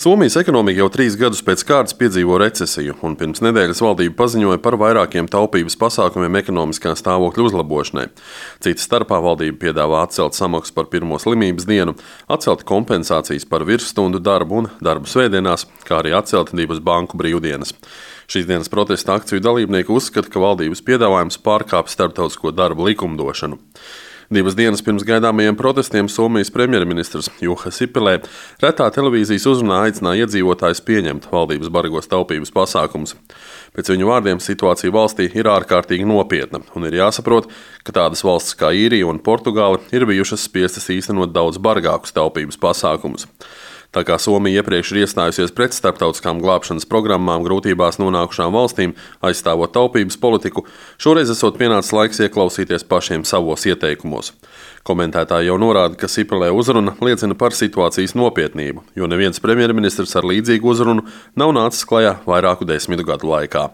Somijas ekonomika jau 3 gadus pēc kārtas piedzīvo recesiju, un pirms nedēļas valdība paziņoja par vairākiem taupības pasākumiem ekonomiskā stāvokļa uzlabošanai. Cita starpā valdība piedāvā atcelt samaksu par pirmo slimības dienu, atcelt kompensācijas par virsstundu darbu un darbu svētdienās, kā arī atcelt 2 banku brīvdienas. Šīs dienas protesta akciju dalībnieki uzskata, ka valdības piedāvājums pārkāpj starptautisko darba likumdošanu. 2 dienas pirms gaidāmajiem protestiem Somijas premjerministrs Juha Sipilē retā televīzijas uzrunā aicināja iedzīvotājus pieņemt valdības bargos taupības pasākumus. Pēc viņu vārdiem situācija valstī ir ārkārtīgi nopietna, un ir jāsaprot, ka tādas valstis kā Īrija un Portugāle ir bijušas spiestas īstenot daudz bargākus taupības pasākumus. Tā kā Somija iepriekš ir iestājusies pret starptautiskām glābšanas programmām grūtībās nonākušām valstīm, aizstāvot taupības politiku, šoreiz esot pienācis laiks ieklausīties pašiem savos ieteikumos. Komentētāji jau norāda, ka Sipilē uzruna liecina par situācijas nopietnību, jo neviens premjerministrs ar līdzīgu uzrunu nav nācis klajā vairāku 10 gadu laikā.